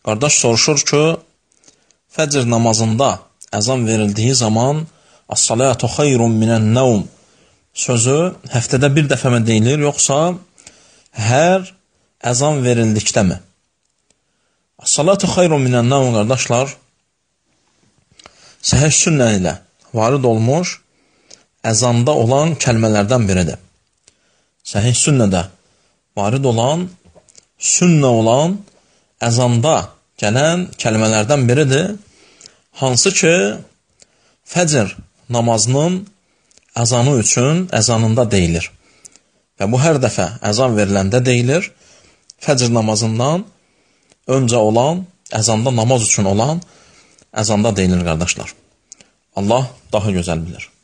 Qardaş soruşur ki, fəcr namazında əzan verildiyi zaman "As-salatu xayrun minən-nəvm" sözü həftədə bir dəfə mi deyilir, yoxsa hər əzan verildikdəmi? "As-salatu xayrun minən-nəvm" qardaşlar, səhih sünnə ilə varid olmuş əzanda olan kəlmələrdən biridir. Səhih sünnədə varid olan, sünnə olan əzanda gələn kəlmələrdən biridir. Hansı ki, fəcr namazının əzanı üçün əzanında deyilir. Və bu hər dəfə əzan veriləndə deyilir. Fəcr namazından öncə olan, əzanda namaz üçün olan əzanda deyilir qardaşlar. Allah daha gözəl bilir.